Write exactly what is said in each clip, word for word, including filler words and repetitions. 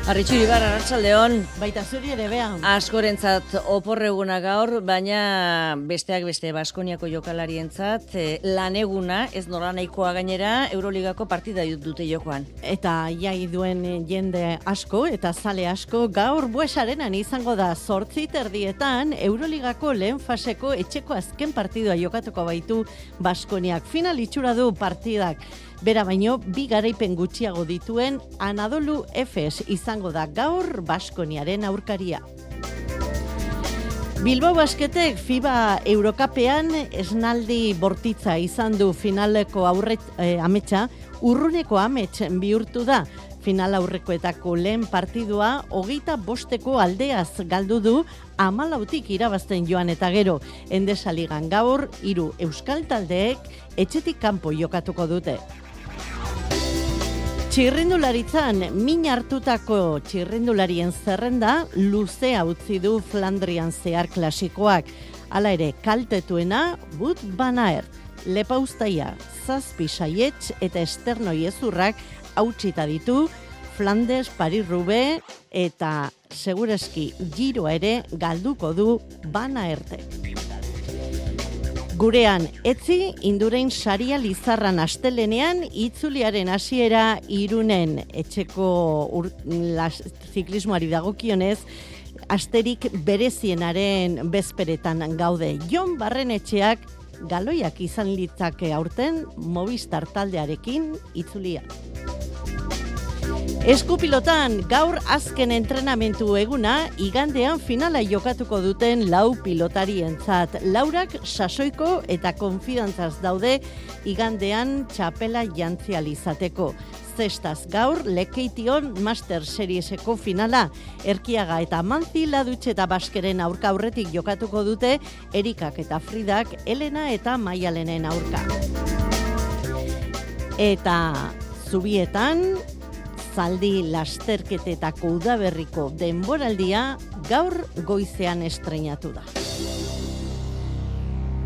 Arritxu Ibar, arratsaldeon. Baita zuri ere beha. Askorentzat oporreguna gaur, baina besteak beste Baskoniako jokalarientzat eh, laneguna, ez nola nahikoa gainera, Euroligako partida dute jokoan. Eta jai duen jende asko eta zale asko gaur Buesarenan izango da zortzi terdietan Euroligako lehen faseko etxeko azken partidua jokatuko baitu Baskoniak. Final itxura du partidak. Bera baino, bi garaipen gutxiago dituen Anadolu Efes izango da gaur Baskoniaren aurkaria. Bilbao Basketek FIBA Eurokapean esnaldi bortitza izan du finaleko aurret eh, ametsa, urruneko amets bihurtu da. Final aurrekoetako lehen partidua hogeita bosteko aldeaz galdu du hamalautik irabazten joan eta gero. Endesa ligan gaur hiru euskal taldeek etxetik kanpo jokatuko dute. Txirrindularitzan, min hartutako txirrindularien zerrenda luzea utzi du Flandrian zehar klasikoak. Hala ere, kaltetuena Wout van Aert, Lepauztaia, Zazpi Saietz eta Esternoi ezurrak hautsita ditu Flandes, Paris-Roubaix eta segureski giroa ere galduko du Van Aertek. Gurean, etzi Indurain saria Lizarran astelenean itzuliaren hasiera Irunen etxeko ur, las, ziklismoari dagokionez asterik berezienaren bezperetan gaude. Jon Barrenetxeak galoiak izan litzake aurten Movistar taldearekin itzulia. Eskupilotan, gaur azken entrenamentu eguna, igandean finala jokatuko duten lau pilotarientzat. Laurak sasoiko eta konfidantzaz daude igandean txapela jantzial izateko. Zestaz gaur, Lekeition Master Serieseko finala. Erkiaga eta Manzi Ladutxe eta Baskeren aurka aurretik jokatuko dute, Erikak eta Fridak, Elena eta Maialenen aurka. Eta Zubietan, zaldi lasterketetako udaberriko denboraldia gaur goizean estreinatu da.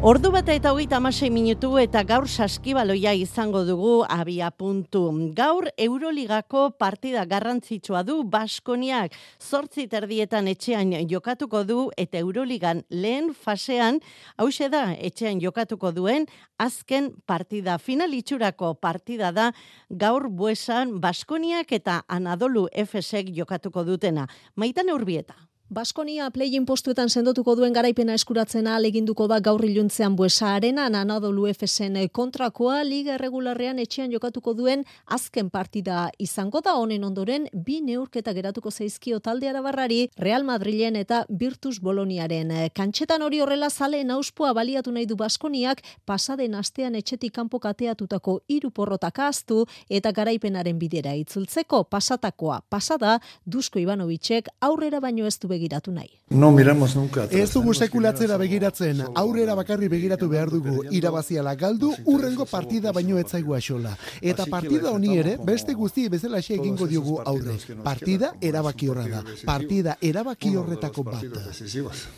Ordu bata eta hogeita hamasei minutu eta gaur saskibaloia izango dugu abia puntu. Gaur Euroligako partida garrantzitsua du Baskoniak. Zortzi terdietan etxean jokatuko du eta Euroligan lehen fasean, hauxe da etxean jokatuko duen azken partida. Final itxurako partida da gaur Buesan Baskoniak eta Anadolu Efesek jokatuko dutena. Maitane Urbieta. Baskonia play-in postuetan sendotuko duen garaipena eskuratzen ahaleginduko da gaur iluntzean Buesa Arenan Anadolu Efesen kontrakoa liga erregularrean etxean jokatuko duen azken partida izango da. Honen ondoren bi neurketa geratuko zaizkio talde arabarrari Real Madrilen eta Virtus Boloniaren. Kantxetan hori horrela zaleen auspoa baliatu nahi du Baskoniak pasaden astean etxetik kanpo kateatutako hiru porrotak ahaztu eta garaipenaren bidera itzultzeko. Pasatakoa pasada Dusko Ivanovicek aurrera baino ez du begiratu nahi. No miramos nunca atrás. Ez dugu sekulatzera begiratzen, aurrera bakarri begiratu behar dugu, irabaziala galdu, urrengo partida baino etzaigu axola. Eta partida honi ere, beste guzti bezalaxe egingo diogu aurre. Partida erabaki horra da, partida erabaki horretako bat.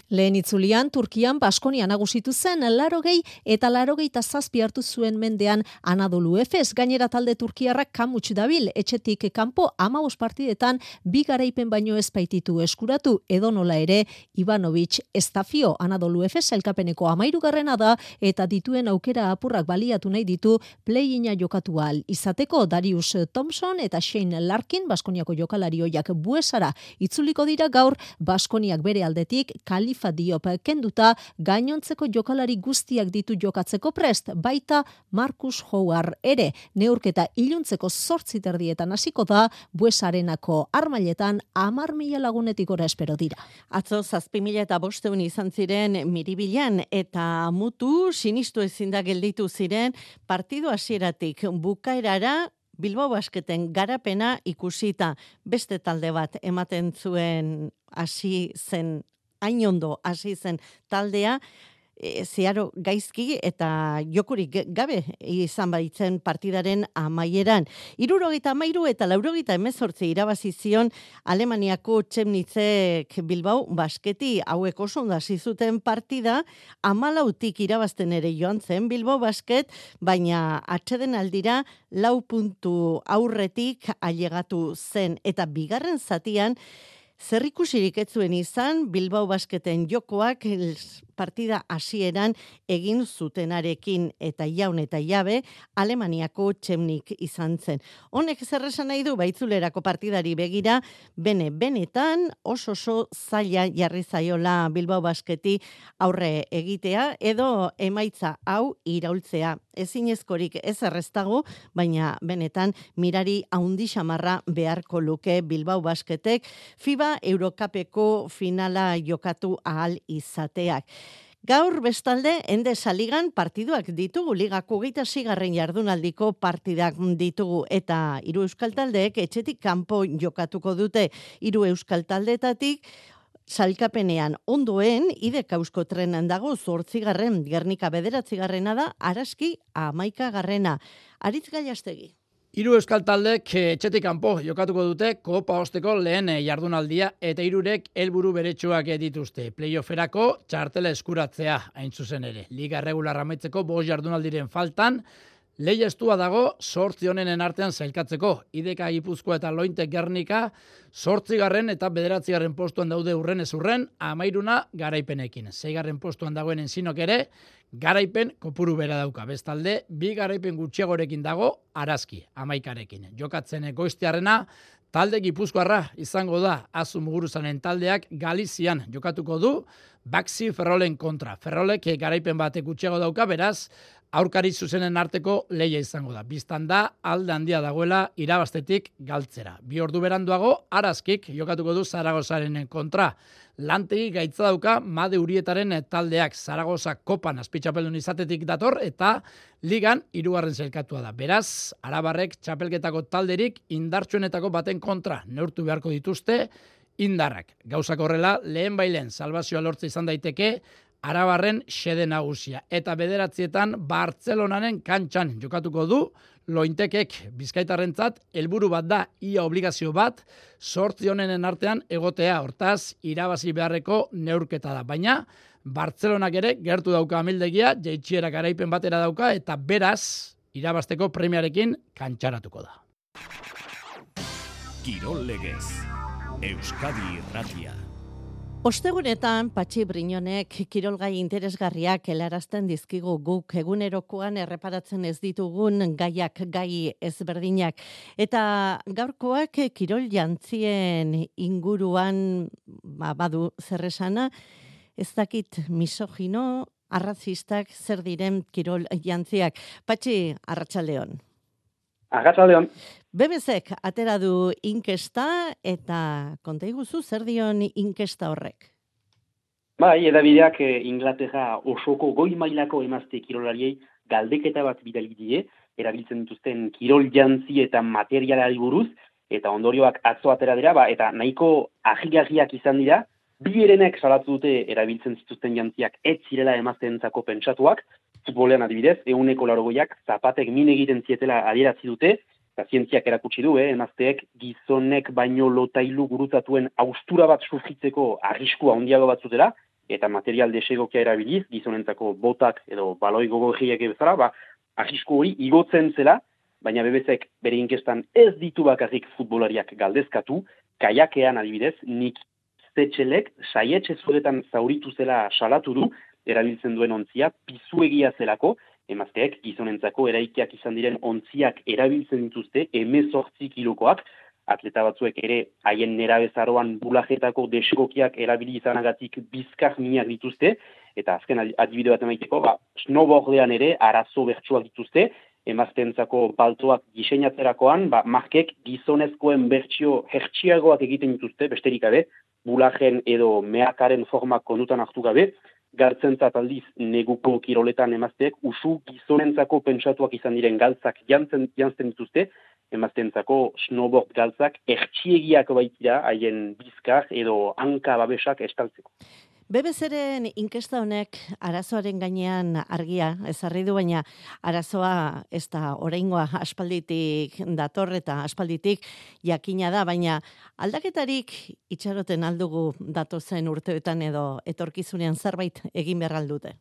Lehen itzulian, Turkian Baskonia nagusitu zen, larogei eta larogei eta zazpi hartu zuen mendean Anadolu Efes, gainera talde turkiarrak kamuts dabil, etxetik kanpo hamabost partidetan bi garaipen baino ez baititu eskuratu, edonola ere Ivanovic estafio Anadolu Efes elkapeneko hamairugarrena da eta dituen aukera apurrak baliatu nahi ditu play-ina jokatu ahal izateko. Darius Thompson eta Shane Larkin Baskoniako jokalari ohiak Buesara itzuliko dira gaur. Baskoniak bere aldetik Khalifa Diop kenduta gainontzeko jokalari guztiak ditu jokatzeko prest, baita Marcus Howard ere. Neurketa iluntzeko zortzi terdietan hasiko da Buesarenako armailetan hamar mila lagunetik gora espero dira. Atzo zazpi mila eta bosteun izan ziren Miribilan eta mutu sinistu ezin da gelditu ziren partidu hasieratik bukaerara Bilbao Basketen garapena ikusita. Beste talde bat ematen zuen hasi zen, hain ondo hasi zen taldea, e, zeharo gaizki eta jokurik gabe izan baitzen partidaren amaieran. Hirurogeita hamairu eta laurogeita hemezortzi irabazi zion Alemaniako Chemnitzek Bilbao Basketi, hauek oso ondo hasi zuten partida, hamalautik irabazten ere joan zen Bilbao Basket, baina atseden aldira lau puntu aurretik ailegatu zen eta bigarren zatian zer ikusirik ez zuen izan Bilbao Basketen jokoak partida hasieran egin zutenarekin eta jaun eta jabe Alemaniako Chemnik izan zen. Honek zer esan nahi du baitzulerako partidari begira, bene benetan oso oso zaila jarri zaiola Bilbao Basketi aurre egitea edo emaitza hau iraultzea. Ezinezkorik ez erreztago, baina benetan mirari haundi xamarra beharko luke Bilbao Basketek FIBA Eurocupeko finala jokatu ahal izateak. Gaur bestalde Endesa Ligan partiduak ditugu, ligako hogeita seigarren jardunaldiko partidak ditugu eta hiru euskal taldeek etxetik kanpo jokatuko dute. Hiru euskal taldeetatik sailkapenean ondoen Ideka Eusko Trenan dago zortzigarren, Gernika bederatzigarrena da, Araski hamaikagarrena. Aritz Gallastegi. Hiru euskal taldek etxetik kanpo jokatuko dute kopa osteko lehen jardunaldia eta hirurek helburu beretsuak dituzte. Playofferako txartela eskuratzea hain zuzen ere. Liga regular amaitzeko bost jardunaldiren faltan, lehia estua dago zortzi honenen artean zailkatzeko. Ideka Gipuzkoa eta Lointe Gernika zortzigarren eta bederatzigarren postuan daude urren ez urren, amairuna garaipenekin. Seigarren postuan dagoen Enzinok ere, garaipen kopuru bera dauka. Bestalde, bi garaipen gutxiagorekin dago Araski, amaikarekin. Jokatzen goiztiarrena, talde Gipuzkoarra izango da Azu Muguruzanen taldeak Galizian jokatuko du Baxi Ferrolen kontra. Ferrolek garaipen batek gutxiago dauka, beraz, aurkari zuzenen arteko lehia izango da. Bistan da, alde handia dagoela irabaztetik galtzera. Bi ordu beranduago, Araskik jokatuko du Zaragozaren kontra. Lantegi gaitza dauka Made Urietaren taldeak Zaragoza kopan azpitxapeldun izatetik dator eta ligan hirugarren sailkatua da. Beraz, arabarrek txapelketako talderik indartsuenetako baten kontra neurtu beharko dituzte indarrak. Gauzak horrela, lehen bailen salbazioa lortze izan daiteke arabarren xede nagusia. Eta bederatzietan Bartzelonaren kantxan jokatuko du Lointekek Bizkaitarrentzat helburu bat da, ia obligazio bat, zortzi honenen artean egotea, hortaz, irabazi beharreko neurketa da. Baina, Bartzelonak ere gertu dauka amildegia, jaitsierak garaipen batera dauka, eta beraz, irabazteko premiarekin kantxaratuko da. Kirol Legez, Euskadi Irratia. Ostegunetan, Patxi Brinonek kirolgai interesgarriak helarazten dizkigu guk egunerokoan erreparatzen ez ditugun gaiak, gai ezberdinak. Eta gaurkoak kirol jantzien inguruan ba, badu zerresana, ez dakit misogino, arrazistak zer diren kirol jantziak. Patxi, arratsaldeon. Arratsaldeon. B B Zek atera du inkesta eta konta iguzu zer dion inkesta horrek? Bai, edabideak eh, Inglaterra osoko goi mailako emazte kirolariei galdeketa bat bidali die, erabiltzen dituzten kirol jantzi eta materialari buruz, eta ondorioak atzo atera dira, ba, eta nahiko ahigarriak izan dira, bi herenek salatu dute erabiltzen zituzten jantziak ez zirela emazteentzako pentsatuak, futbolean adibidez, ehuneko laurogeik zapatek min egiten zietela adieratzi dute, eta zientziak erakutsi du, eh, emazteek gizonek baino lotailu gurutatuen austura bat sufritzeko arriskua handiago bat zutela, eta material desegokia erabiliz, gizonentzako botak edo baloi gogorriak bezala, ba, arrisku hori igotzen zela, baina B B Zek bere inkestan ez ditu bakarrik futbolariak galdezkatu, kaiakean adibidez, Nik Zetxelek saietxe zuretan zauritu zela salatu du, erabiltzen duen ontzia, pizuegia zelako, emazteek gizonentzako eraikiak izan diren ontziak erabiltzen dituzte, hemezortzi kilokoak, atleta batzuek ere haien nerabezaroan bulajetako desegokiak erabili izanagatik bizkar minak dituzte, eta azken adibide bat emaiteko, ba, snowboardean ere arazo bertsuak dituzte, emazteentzako paltoak diseinatzerakoan, ba, markek gizonezkoen bertsio hertsiagoak egiten dituzte, besterik gabe, bulajen edo meakaren formak kondutan hartu gabe, galtzentzat aldiz neguko kiroletan emazteek usu gizonentzako pentsatuak izan diren galtzak jantzen, jantzen dituzte, emaztentzako snowboard galtzak ertxiegiak baitira haien bizkar edo hanka babesak estaltzeko. B B C-ren inkesta honek arazoaren gainean argia ezarri du, baina arazoa ez da oraingoa aspalditik dator eta aspalditik jakina da, baina aldaketarik itxaroten aldugu datozen urteetan edo etorkizunean zerbait egin behar aldute.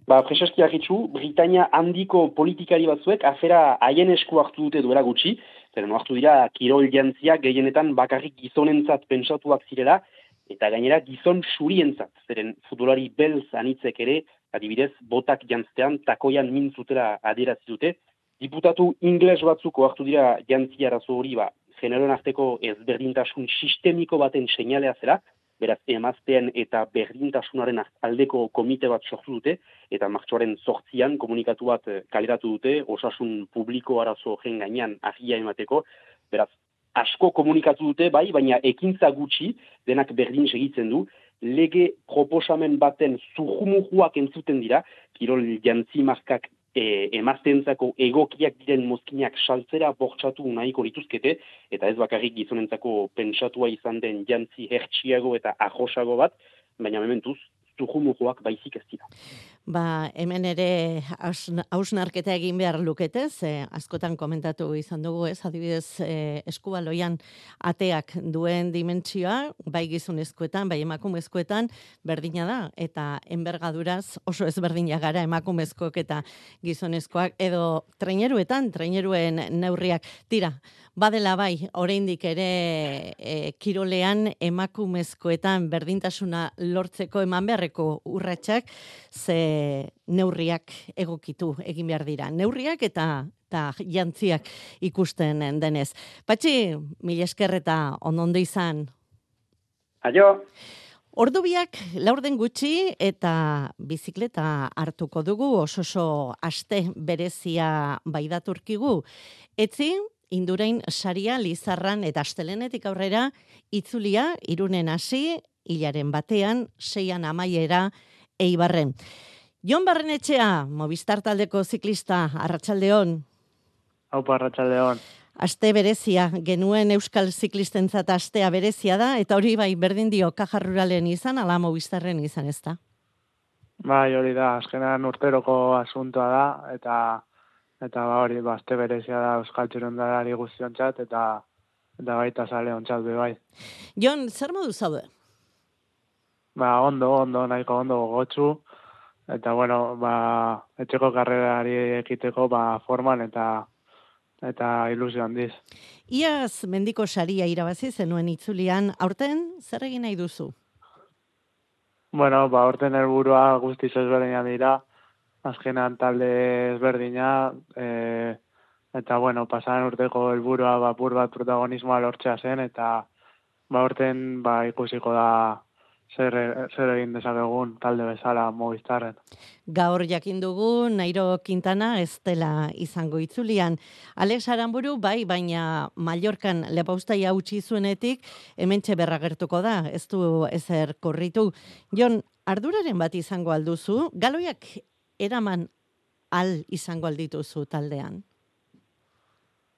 Ba, preseski argitzu, Britania handiko politikari batzuek afera haien esku hartu dute duela gutxi, zeren hartu dira kirol jantziak gehienetan bakarrik gizonentzat pentsatuak zirela, eta gainera gizon surientzat, zeren futbolari belz anitzek ere, adibidez, botak jantztean takoian mintzutera adierazi dute. Diputatu ingles batzuko hartu dira jantzi arazo hori, ba, generoen arteko ezberdintasun sistemiko baten seinalea zera, beraz emazteen eta berdintasunaren aldeko komite bat sortu dute, eta martxoaren zortzian komunikatu bat kaleratu dute, osasun publiko arazo gen gainean argia emateko, beraz, asko komunikatu dute, bai, baina ekintza gutxi, denak berdin segitzen du, lege proposamen baten zurrumujuak entzuten dira, kirol jantzi markak e, emaztentzako egokiak diren mozkinak saltzera bortxatu nahiko lituzkete, eta ez bakarrik gizonentzako pentsatua izan den jantzi hertsiago eta arrosago bat, baina mementuz, zurrumujuak baizik ez dira. Ba, hemen ere hausnarketa egin behar lukete, ze askotan komentatu izan dugu, ez, adibidez, e, eskubaloian ateak duen dimentsioa, bai gizonezkoetan, bai emakumezkoetan, berdina da, eta enbergaduraz oso ezberdina gara emakumezkoak eta gizonezkoak, edo traineruetan, traineruen neurriak, tira, badela bai, oraindik ere e, kirolean emakumezkoetan berdintasuna lortzeko eman beharreko urratsak, ze neurriak egokitu egin behar dira. Neurriak eta eta jantziak ikusten denez. Patxi, mila esker eta onondo izan. Aio! Ordu biak laurden gutxi eta bizikleta hartuko dugu, oso oso aste berezia baidaturkigu. Etzi, Indurain saria Lizarran eta astelenetik aurrera itzulia Irunen hasi, hilaren batean, seian amaiera Eibarren. Jon Barrenetxea, Movistar taldeko ziklista, arratsaldeon. Aupa, arratsaldeon. Aste berezia, genuen euskal ziklistentzat astea berezia da, eta hori bai berdin dio Caja Ruralen izan, ala Movistarren izan ez da? Bai, hori da, azkenan urteroko asuntoa da, eta eta ba hori, ba, aste berezia da euskal txirrindulari guztiontzat, eta eta baita zale ontzat be bai. Jon, zer modu zaude? Ba, ondo, ondo, nahiko ondo gogotsu, eta bueno, ba, etxeko karrerari ekiteko ba, forman eta eta ilusio handiz. Iaz mendiko saria irabazi zenuen itzulian, aurten zer egin nahi duzu? Bueno, ba, aurten helburua guztiz ezberdina dira, azkenan talde ezberdina, e, eta bueno, pasaran urteko helburua ba, pur bat protagonismoa lortzea zen, eta ba, aurten ba, ikusiko da zer, zer egin dezakegun talde bezala Movistarren. Gaur jakin dugu Nairo Quintana ez dela izango itzulian. Alex Aramburu bai, baina Mallorcan lepauztaia utzi zuenetik hementxe berragertuko da, ez du ezer korritu. Jon, arduraren bat izango alduzu, galoiak eraman al izango aldituzu taldean?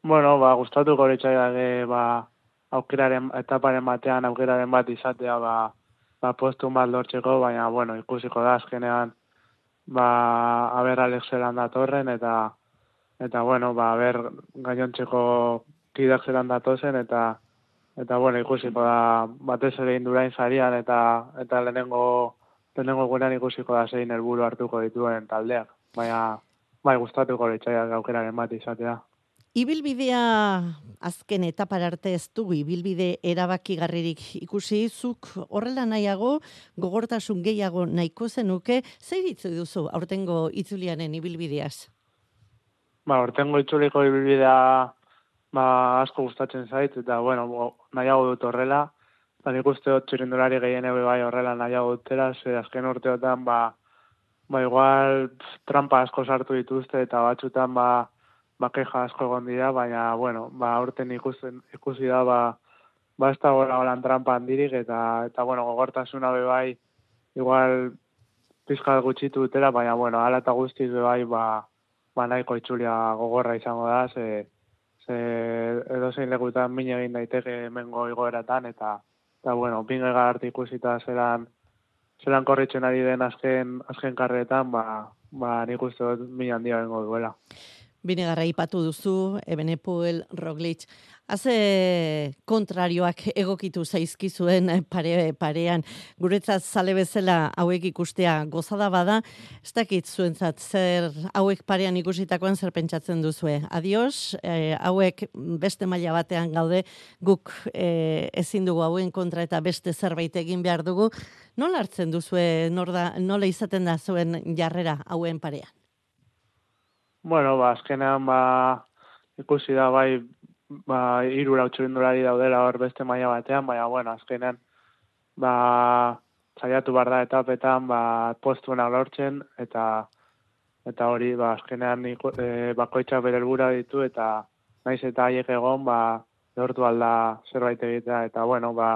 Bueno, ba, gustatuko litzaidake ba, aukeraren, etaparen batean aukeraren bat izatea ba, ba, postun bat lortzeko, baina, bueno, ikusiko da azkenean, ba, aber Alex zelan datorren, eta, eta, bueno, ba, aber gainontzeko kidak zelan datozen, eta, eta, bueno, ikusiko da, batez ere Indurain sarian, eta, eta lehenengo, lehenengo gurean ikusiko da zein helburu hartuko dituen taldeak, baina, bai, gustatuko litzaidak aukeraren bat izatea. Ibilbidea azken etapar arte ez dugu ibilbide erabakigarririk ikusi, zuk horrela nahiago, gogortasun gehiago nahiko zenuke, zer itzu duzu aurtengo itzulianen ibilbideaz? Ba, aurtengo itzuliko ibilbidea ba, asko gustatzen zait, eta bueno, nahiago dut horrela, ba, nik uste dut txirrindulari gehiene bai horrela nahiago dutela, ze azken urteotan ba, ba igual pff, trampa asko sartu dituzte, eta batzutan ba, ba, keja asko egon dira, baina, bueno, ba, aurten ikusten, ikusi da, ba, ba, ez da gora holan trampa handirik, eta, eta, bueno, gogortasuna be bai, igual, pizkat gutxitu dutela, baina, bueno, ala eta guztiz be bai, ba, ba, nahiko itzulia gogorra izango da, ze, ze edozein lekutan min egin daiteke hemengo igoeratan, eta, eta bueno, Vingegaard arte ikusita zelan, zelan korritzen ari den azken, azken karretan, ba, ba nik uste dut min handia bengo duela. Binegarra ipatu duzu, Ebenepoel, Roglic, haze kontrarioak egokitu zaizkizuen pare, parean, guretzat zale bezala hauek ikustea gozada bada, ez dakit zuentzat zer hauek parean ikusitakoan zer pentsatzen duzue. Adios, eh, hauek beste maila batean gaude, guk eh, ezin dugu hauen kontra eta beste zerbait egin behar dugu. Nola hartzen duzue, norda, nola izaten da zuen jarrera hauen parean? Bueno, ba, azkenean, ba, ikusi da, bai, ba, irura utxurindulari daudela hor beste maila batean, baina, bueno, azkenean, ba, saiatu behar da etapetan, ba, postuena lortzen, eta eta hori, ba, azkenean, e, bakoitza bere helbura ditu, eta naiz eta haiek egon, ba, lortu alda zerbait egitea, eta, bueno, ba,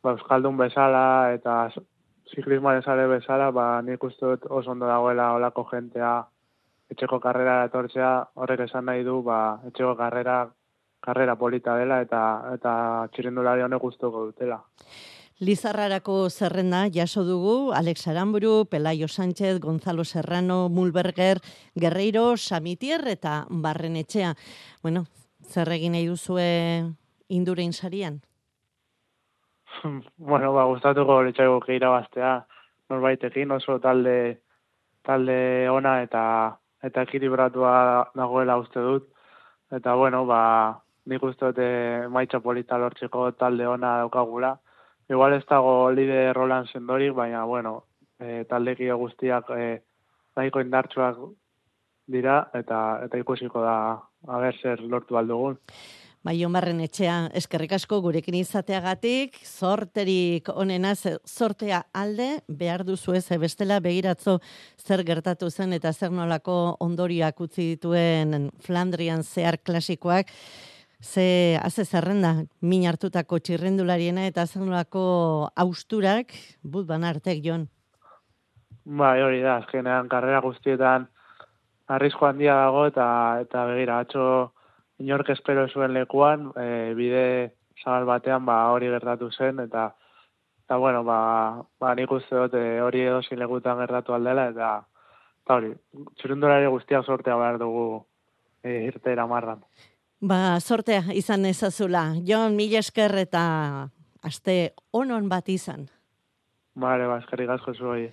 ba Euskaldun bezala, eta ziklismoaren sare bezala, ba, nik uste dut oso ondo dagoela olako jentea, etxeko karrera etortzea, horrek esan nahi du, ba, etxeko karrera, karrera polita dela eta eta txirrindulari honek gustuko dutela. Lizarrarako zerrenda jaso dugu, Alex Aramburu, Pelayo Sánchez, Gonzalo Serrano, Mulberger, Guerreiro, Samitier eta Barrenetxea. Bueno, zer egin nahi duzue Indurain sarian? Bueno, ba, gustatuko litzaiguke irabaztea, norbaitekin oso talde talde ona eta eta ekilibratua dagoela uste dut. Eta, bueno, ba, nik uste dut emaitza polita lortzeko talde ona daukagula. Igual ez dago lider Roland sendorik, baina, bueno, e, taldekide guztiak e, nahiko indartsuak dira, eta eta ikusiko da, aber zer lortu aldugun. Bai, Barrenetxea, eskerrik asko gurekin izateagatik, zorterik onena, zortea alde, behar duzu ez, bestela begiratzo zer gertatu zen eta zer nolako ondorioak utzi dituen Flandrian zehar klasikoak, ze haze zerrenda, min hartutako txirrendulariena eta zer nolako austurak, but ban artek, Jon. Bai, hori da, azkenean karrera guztietan arrisku handia dago eta eta begira, atzo inork espero zuen lekuan, e, bide zabal batean ba, hori gertatu zen, eta, eta bueno, ba, ba, nik uste dut e, hori edozein lekutan gertatu aldela, eta, eta hori, txirrindulari guztiak sortea behar dugu e, irteera marran. Ba, sortea izan ezazula. Jon, mila esker eta aste onon bat izan. Bale, ba, eskerrik asko zuei.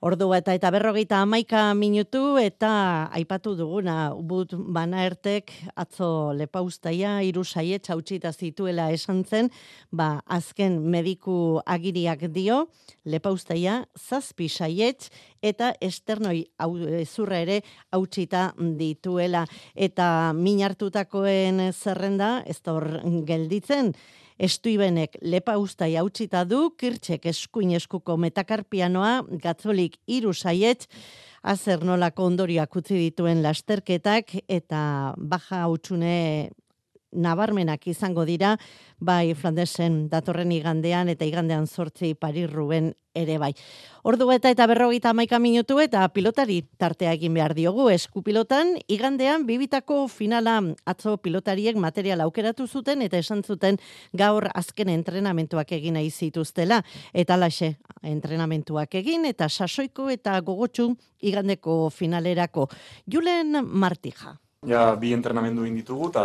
Ordu eta eta berrogeita hamaika minutu eta aipatu duguna, but bana ertek atzo lepaustaia hiru saiet hautxita zituela esan zen, ba azken mediku agiriak dio, lepaustaia zazpi saiet eta esternoi zurra ere hautxita dituela. Eta min hartutakoen zerrenda, ez da hor gelditzen, Estuibenek lepa ustai hautsita du, Kirtxek eskuin eskuko metakarpianoa, Gatzolik hiru saiet, azer nolako ondorioak utzi dituen lasterketak, eta baja hautsune nabarmenak izango dira, bai Flandesen datorren igandean, eta igandean zortzi Paris-Roubaix ere bai. Ordu eta eta berrogeita hamaika minutu eta pilotari tartea egin behar diogu eskupilotan, igandean bibitako finala atzo pilotariek material aukeratu zuten eta esan zuten gaur azken entrenamentuak egin nahi zituztela. Eta laxe, entrenamentuak egin eta sasoiko eta gogotsu igandeko finalerako. Julen Martija. Ja, bi entrenamendu egin ditugu, eta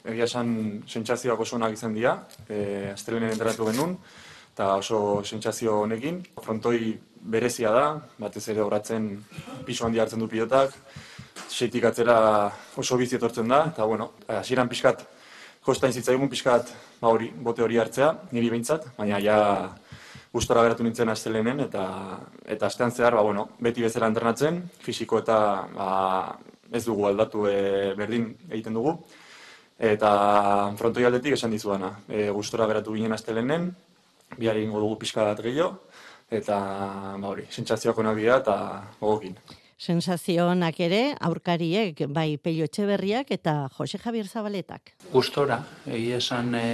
egia esan sentsazioak oso onak izan dira. E, Astelenen entrenatu genuen, eta oso sentsazio honekin. Frontoi berezia da, batez ere horatzen pisu handi hartzen du pilotak. Seitik atzera oso bizi etortzen da, eta bueno, hasieran pixkat, kostain zitzaigun pixkat, ba hori, bote hori hartzea, niri behintzat, baina ja gustora geratu nintzen astelenen, eta, eta astean zehar, ba bueno, beti bezala entrenatzen, fisiko eta ba, ez dugu aldatu e, berdin egiten dugu. Eta frontoi aldetik esan dizuana. E, gustora geratu ginen astelenen, bihar egingo dugu pixka bat gehiago, eta ba hori, sentsazioak onak dira eta gogokin. Sensazionak ere, aurkariek, bai Pello Etxeberriak eta Jose Javier Zabaletak. Gustora, egia esan e,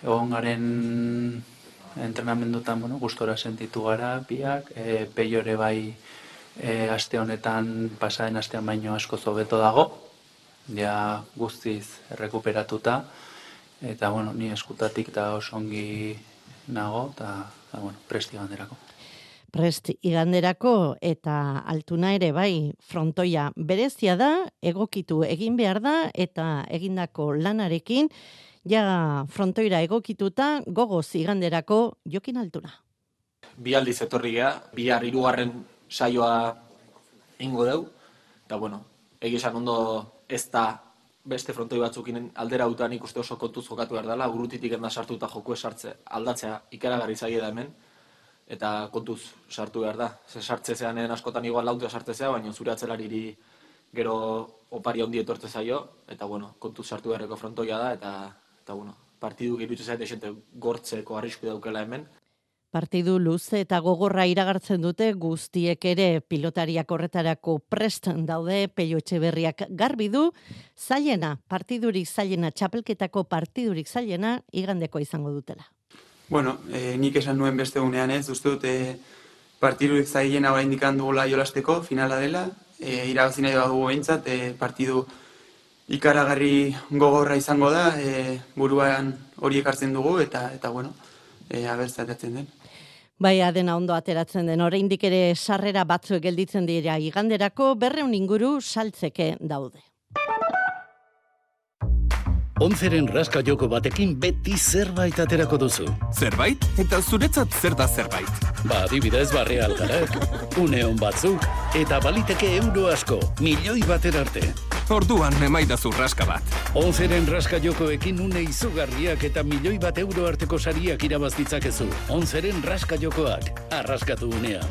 egon garen entrenamendutan, bueno, gustora sentitu gara biak, e, Pello ere bai E, aste honetan, pasaren astean baino asko hobeto dago, ja guztiz rekuperatuta, eta bueno, ni eskutatik da oso ongi nago, eta bueno, presti ganderako. Prest iganderako eta altuna ere bai frontoia berezia da, egokitu egin behar da eta egindako lanarekin ja frontoira egokituta gogoz iganderako Jokin Altuna. Bi aldiz etorri gea, bihar hirugarren saioa ingo deu, eta bueno, egizan ondo ez da beste frontoi batzukin aldera utan ikuste oso kontuz jokatu behar dela, urrutitik enda sartuta joku esartze aldatzea ikaragarri zaie da hemen, eta kontuz sartu behar da. Ze sartze zean askotan igual lautea sartze zea, baina zure atzelariri gero opari handi etortze zaio, eta bueno, kontuz sartu beharreko frontoia da, eta, eta bueno, partidu iruditzen zait esente gortzeko arrisku daukela hemen. Partidu luze eta gogorra iragartzen dute guztiek ere pilotariak horretarako prest daude, Pello Etxeberriak garbi du, zailena, partidurik zailena, txapelketako partidurik zailena igandeko izango dutela. Bueno, eh, nik esan nuen beste unean ez, uste dut eh, partidurik zailena oraindik dugula jolasteko, finala dela, eh, irabazi nahi badugu behintzat, eh, partidu ikaragarri gogorra izango da, eh, buruan hori ekartzen dugu, eta, eta bueno, eh, abertzatatzen den. Baia dena ondo ateratzen den, oraindik ere sarrera batzuek gelditzen dira iganderako berreun inguru saltzeke daude. Onzeren raska joko batekin beti zerbait aterako duzu. Zerbait? Eta zuretzat zer da zerbait? Ba, adibidez barre algarak, uneon batzuk, eta baliteke euro asko, milioi bater arte. Orduan emaidazu raska bat. Onzeren raska jokoekin une izugarriak eta milioi bat euro arteko sariak irabaz ditzakezu. Onzeren raska jokoak, arraskatu unea.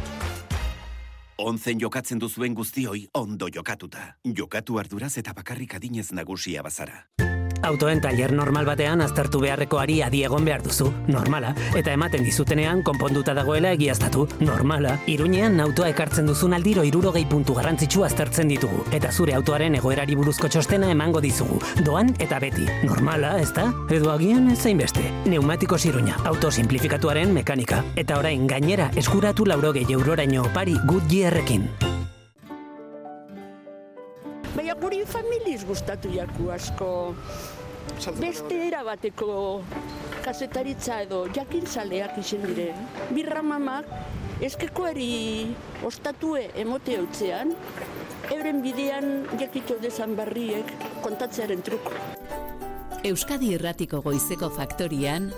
Onzen jokatzen duzuen guztioi ondo jokatuta. Jokatu arduraz eta bakarrik adinez nagusia bazara. Autoen tailer normal batean aztertu beharreko ari adi egon behar duzu, normala, eta ematen dizutenean konponduta dagoela egiaztatu, normala. Iruñean autoa ekartzen duzun aldiro hirurogei puntu garrantzitsu aztertzen ditugu, eta zure autoaren egoerari buruzko txostena emango dizugu, doan eta beti, normala, ezta? Edo agian ez zainbeste. Neumatikos Iruña, auto simplifikatuaren mekanika, eta orain gainera eskuratu laurogei euroraino opari Goodyearrekin. Baina guri familiz gustatu jaku asko. Beste erabateko kazetaritza edo jakintzaleak izen dire. Birra mamak eskekoari ostatue emote hautzean, euren bidean jakito dezan barriek kontatzearen truko. Euskadi Irratiko Goizeko Faktorian,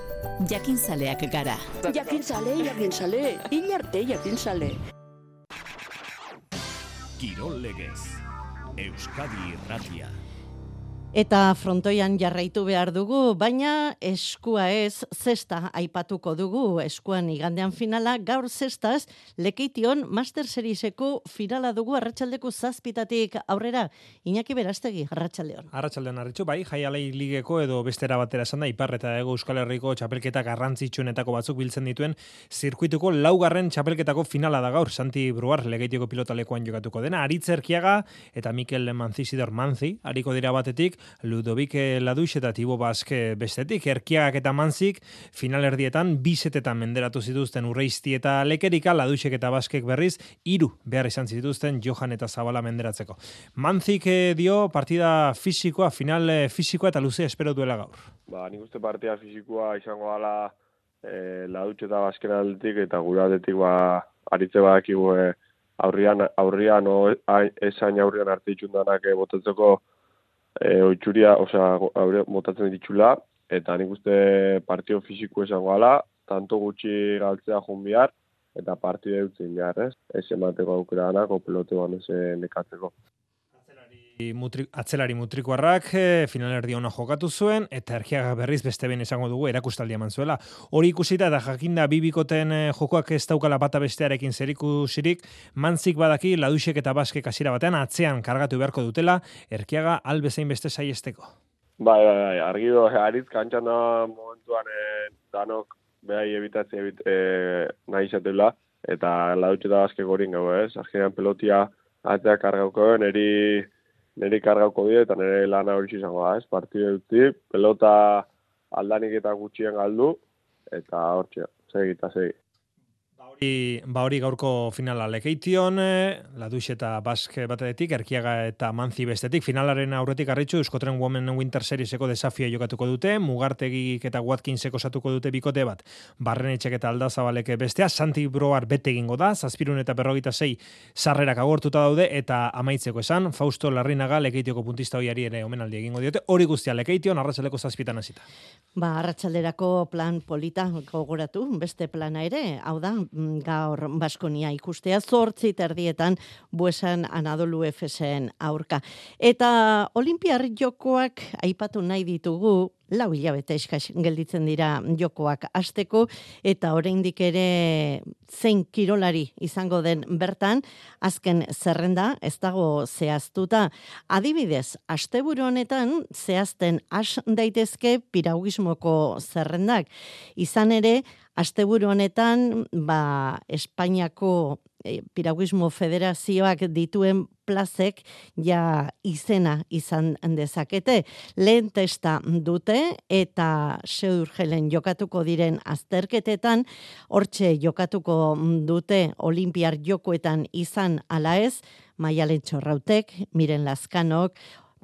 jakintzaleak gara. Jakintzale, jakintzale, hil arte jakintzale. Kirol legez. Euskadi Irratia. Eta frontoian jarraitu behar dugu, baina eskua ez, zesta aipatuko dugu, eskuan igandean finala, gaur zestaz, Lekeition Master Serieseko finala dugu arratsaldeko zazpitatik aurrera. Iñaki Berastegi, arratsaldeon. Arratsaldeon arritxu, bai, Jaialei ligeko edo bestera batera esan da, Ipar eta Hego Euskal Herriko txapelketa garrantzitsuenetako batzuk biltzen dituen zirkuituko laugarren txapelketako finala da gaur, Santi Bruar, Lekeitioko pilotalekuan jokatuko dena, Aritz Erkiaga eta Mikel Manzisidor Manzi, hariko dira batetik, Ludovic Ladux eta Tibo Baske bestetik, Erkiagak eta Manzik finalerdietan bisetetan menderatu zituzten Urreisti eta Lekerika, Laduxek eta Baskek berriz hiru behar izan zituzten Johan eta Zabala menderatzeko. Manzik dio partida fisikoa, final fisikoa eta luze espero duela gaur. Ba, nik uste partida fisikoa izango dela eh, Ladux eta Basken aldetik eta gure aldetik ba, aritze badakigu eh, aurrian, aurrian o, esain aurrian arte itxundanak eh, botatzeko E, oitxuria, osea, motatzen ditxula, eta nik uste partio fisiko esango ala, tanto gutxi galtzea joan bihar, eta partide dutzen behar, ez? Ez emateko aukera danak, o pelotean ez nekatzeko. Mutri, atzelari mutrikoarrak finalerdi ona jokatu zuen, eta Erkiaga berriz beste ben esango dugu erakustaldia eman zuela. Hori ikusita eta jakinda bibikoten jokoak ez daukala bata bestearekin zerikusirik, Manzik badaki Laduxek eta Baskek hasiera batean atzean kargatu beharko dutela, Erkiaga albezain beste saiesteko. Bai, bai, bai, argi do, Aritz kantxan da momentuan eh, danok behai ebitatzea ebit, eh, nahi izatela, eta Laduxek eta Baskek horin gau, ez? Azkenean pelotia atzea kargauko, neri niri kargauko die eta nire lana hori izango da, ez? Partide dutzi, pelota aldanik eta gutxien galdu, eta hortxe, segi eta segi. I, ba hori gaurko finala Lekeition, Ladux eta Bask batetik, Erkiaga eta Manzi bestetik, finalaren aurretik arritxu, Euskotren Women Winter Serieseko desafia jokatuko dute, Mugartegik eta Watkinsek osatuko dute bikote bat, Barrenetxek eta Aldazabalek bestea, Santi Broar bete egingo da, Zazpirun eta berrogeita sei sarrerak agortuta daude, eta amaitzeko esan, Fausto Larrinaga Lekeitioko puntista hoiari ere omenaldi egingo diote, hori guztia Lekeition, arratsaleko zazpitan hasita. Ba, arratsalderako plan polita gogoratu, beste plana ere, hau da, gaur Baskonia ikustea zortzi terdietan Buesan Anadolu Efesen aurka. Eta Olimpiar jokoak aipatu nahi ditugu, lau hilabete eskas gelditzen dira jokoak hasteko eta oraindik ere zein kirolari izango den bertan, azken zerrenda ez dago zehaztuta. Adibidez, asteburu honetan zehazten has daitezke piragüismoko zerrendak. Izan ere, asteburu honetan, ba, Espainiako e, Piragüismo Federazioak dituen plazek ja izena izan dezakete. Lehen testa dute eta Seurgelen jokatuko diren azterketetan, hortxe jokatuko dute Olimpiar jokoetan izan ala ez, Maialen Txorrautek, Miren Lazkanok,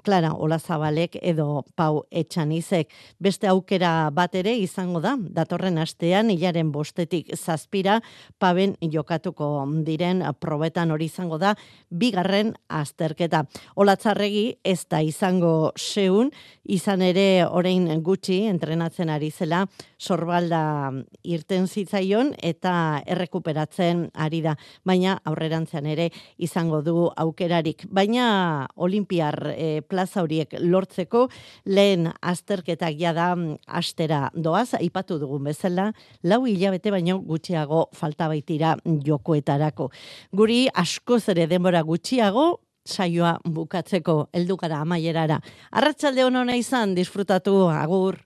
Clara Olazabalek edo Pau Etxanizek. Beste aukera bat ere izango da, datorren astean hilaren bostetik zazpira Paben jokatuko diren probetan hori izango da bigarren azterketa. Olatzarregi ez da izango seun, izan ere orain gutxi entrenatzen ari zela Sorbalda irten zitzaion eta errekuperatzen ari da, baina aurrerantzean ere izango du aukerarik. Baina Olimpiar e, plaza horiek lortzeko lehen azterketak jada astera doaz, aipatu dugun bezala, lau hilabete baino gutxiago falta baitira jokoetarako. Guri askoz ere denbora gutxiago saioa bukatzeko heldu gara amaierara. Arratsalde on ona izan, disfrutatu, agur.